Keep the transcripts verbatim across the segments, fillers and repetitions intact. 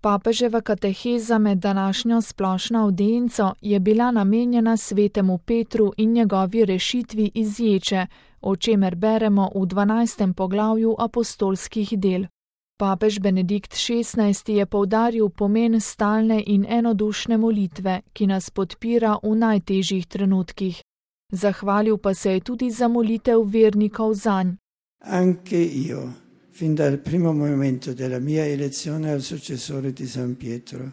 Papeževa kateheza med današnjo splošno avdienco je bila namenjena svetemu Petru in njegovi rešitvi iz ječe, o čemer beremo v dvanajstem poglavju apostolskih del. Papež Benedikt šestnajsti je poudaril pomen stalne in enodušne molitve, ki nas podpira v najtežjih trenutkih. Zahvalil pa se je tudi za molitev vernikov zanj. Anche io, fin dal primo momento della mia elezione al successore di San Pietro,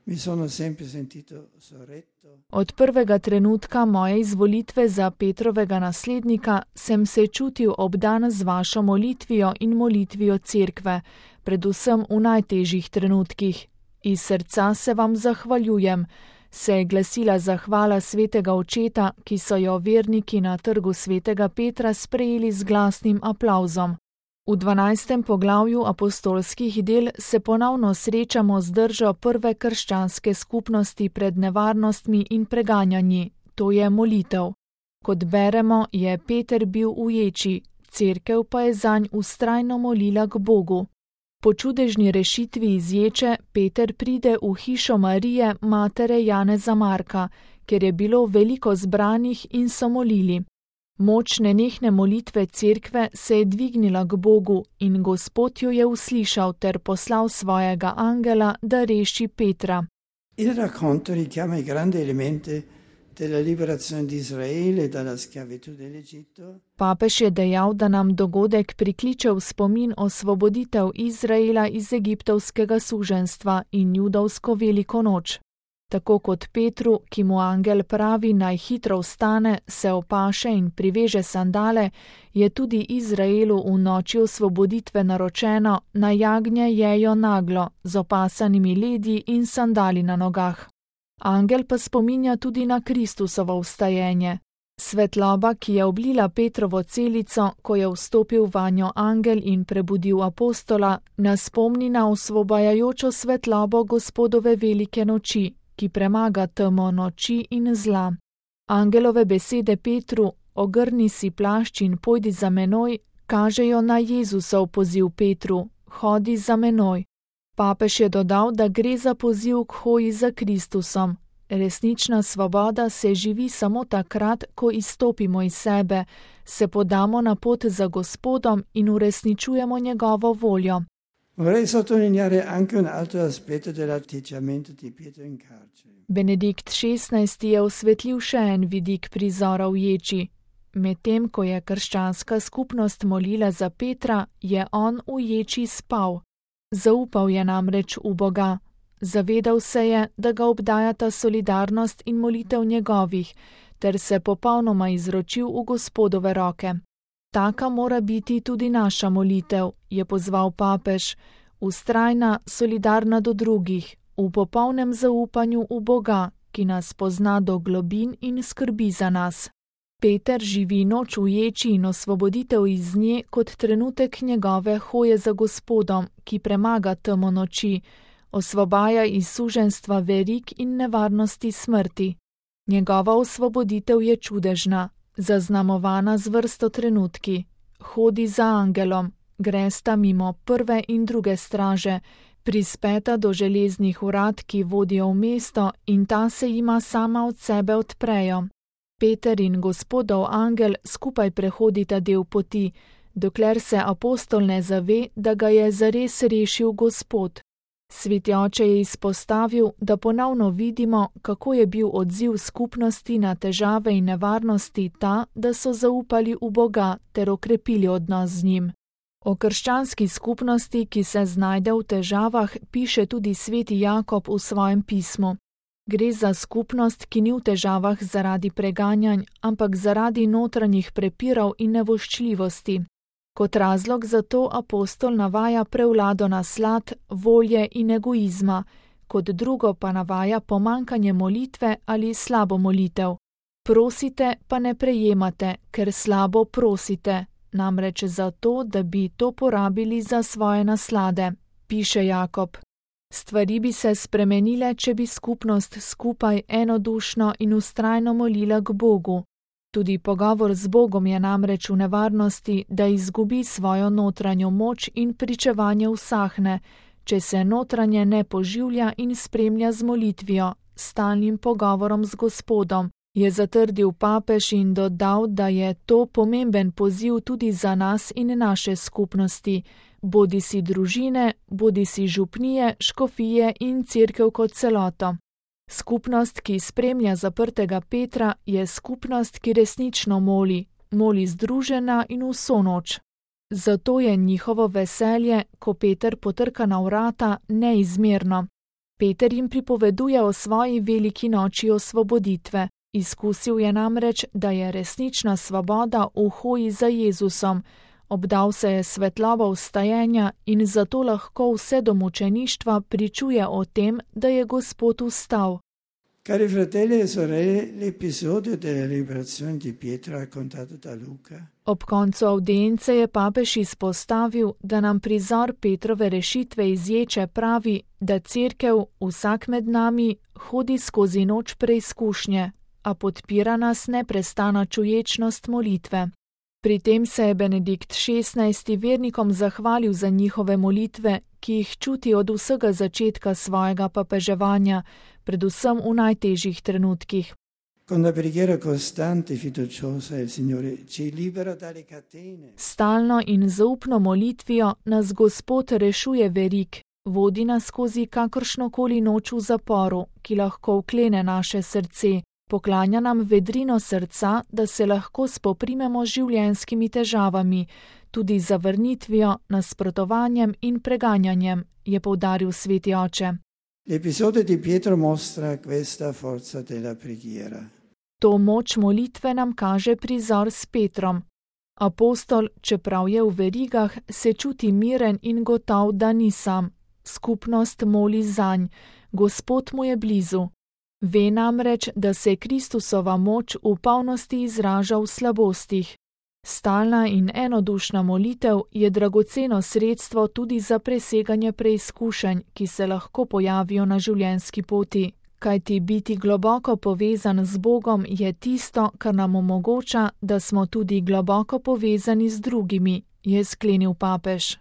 mi sono sempre sentito sorretto. Od prvega trenutka moje izvolitve za Petrovega naslednika sem se čutil obdan z vašo molitvijo in molitvijo cerkve, predvsem v najtežjih trenutkih. Iz srca se vam zahvaljujem, se je glasila zahvala svetega očeta, ki so jo verniki na trgu svetega Petra sprejeli z glasnim aplavzom. V dvanajstem poglavju apostolskih del se ponovno srečamo z držo prve krščanske skupnosti pred nevarnostmi in preganjanji, to je molitev. Kot beremo, je Peter bil v ječi, cerkev pa je zanj vztrajno molila k Bogu. Po čudežni rešitvi iz ječe Peter pride v hišo Marije, matere Janeza Marka, kjer je bilo veliko zbranih in so molili. Moč nenehne molitve cerkve se je dvignila k Bogu in Gospod jo je uslišal ter poslal svojega angela, da reši Petra. Il racconto richiama i grandi elementi della liberazione di Israele dalla schiavitù dell'Egitto. Papež je dejal, da nam dogodek prikliče v spomin osvoboditev Izraela iz egiptovskega suženjstva in judovsko veliko noč. Tako kot Petru, ki mu angel pravi naj hitro vstane, se opaše in priveže sandale, je tudi Izraelu v noči osvoboditve naročeno, naj jagnje jejo naglo, z opasanimi ledji in sandali na nogah. Angel pa spominja tudi na Kristusovo vstajenje. Svetloba, ki je oblila Petrovo celico, ko je vstopil vanjo angel in prebudil apostola, nas spomni na osvobajajočo svetlobo Gospodove velike noči, ki premaga temo noči in zla. Angelove besede Petru, ogrni si plašč in pojdi za menoj, kažejo na Jezusov poziv Petru, hodi za menoj. Papež je dodal, da gre za poziv k hoji za Kristusom. Resnična svoboda se živi samo takrat, ko izstopimo iz sebe, se podamo na pot za Gospodom in uresničujemo njegovo voljo. Vorrei sottolineare anche un altro aspetto dell'atteggiamento di Pietro in carcere. Benedikt šestnajsti je osvetlil še en vidik prizora v ječi. Medtem ko je krščanska skupnost molila za Petra, je on v ječi spal. Zaupal je namreč v Boga. Zavedal se je, da ga obdajata solidarnost in molitev njegovih, ter se popolnoma izročil v Gospodove roke. Taka mora biti tudi naša molitev, je pozval papež, vztrajna, solidarna do drugih, v popolnem zaupanju v Boga, ki nas pozna do globin in skrbi za nas. Peter živi noč v ječi in osvoboditev iz nje kot trenutek njegove hoje za Gospodom, ki premaga temo noči, osvobaja iz suženjstva verig in nevarnosti smrti. Njegova osvoboditev je čudežna, zaznamovana z vrsto trenutki. Hodi za angelom, gresta mimo prve in druge straže, prispeta do železnih vrat, ki vodijo v mesto, in ta se jima sama od sebe odprejo. Peter in Gospodov angel skupaj prehodita del poti, dokler se apostol ne zave, da ga je zares rešil Gospod. Sveti oče je izpostavil, da ponovno vidimo, kako je bil odziv skupnosti na težave in nevarnosti ta, da so zaupali v Boga ter okrepili odnos z njim. O krščanski skupnosti, ki se znajde v težavah, piše tudi sveti Jakob v svojem pismu. Gre za skupnost, ki ni v težavah zaradi preganjanj, ampak zaradi notranjih prepirov in nevoščljivosti. Kot razlog za to apostol navaja prevlado naslad, volje in egoizma, kot drugo pa navaja pomankanje molitve ali slabo molitev. Prosite, pa ne prejemate, ker slabo prosite, namreč zato, da bi to porabili za svoje naslade, piše Jakob. Stvari bi se spremenile, če bi skupnost skupaj enodušno in vztrajno molila k Bogu. Tudi pogovor z Bogom je namreč v nevarnosti, da izgubi svojo notranjo moč in pričevanje usahne, če se notranje ne poživlja in spremlja z molitvijo, stalnim pogovorom z Gospodom, je zatrdil papež in dodal, da je to pomemben poziv tudi za nas in naše skupnosti, bodisi družine, bodisi župnije, škofije in cerkev kot celoto. Skupnost, ki spremlja zaprtega Petra, je skupnost, ki resnično moli, moli združena in vso noč. Zato je njihovo veselje, ko Peter potrka na vrata, neizmerno. Peter jim pripoveduje o svoji veliki noči osvoboditve. Izkusil je namreč, da je resnična svoboda v hoji za Jezusom, obdal se je svetlobo vstajenja in zato lahko vse do mučeništva pričuje o tem, da je Gospod vstal. Cari fratelli e sorelle, l'episodio della liberazione di Pietro raccontato da Luca. Ob koncu audience je papež izpostavil, da nam prizor Petrove rešitve iz ječe pravi, da cerkev, vsak med nami, hodi skozi noč preizkušnje, a podpira nas neprestana čuječnost molitve. Pri tem se je Benedikt šestnajsti vernikom zahvalil za njihove molitve, ki jih čuti od vsega začetka svojega papeževanja, predvsem v najtežjih trenutkih. Stalno in zaupno molitvijo nas Gospod rešuje verik, vodi nas skozi kakršnokoli noč v zaporu, ki lahko vklene naše srce, poklanja nam vedrino srca, da se lahko spoprimemo z življenjskimi težavami, tudi zavrnitvijo, nasprotovanjem in preganjanjem, je poudaril sveti oče. L'episodio di Pietro mostra questa forza della preghiera. To moč molitve nam kaže prizor s Petrom. Apostol, čeprav je v verigah, se čuti miren in gotov, da ni sam. Skupnost moli zanj, Gospod mu je blizu. Ve namreč, da se Kristusova moč v polnosti izraža v slabostih. Stalna in enodušna molitev je dragoceno sredstvo tudi za preseganje preizkušenj, ki se lahko pojavijo na življenjski poti, kajti biti globoko povezan z Bogom je tisto, kar nam omogoča, da smo tudi globoko povezani z drugimi, je sklenil papež.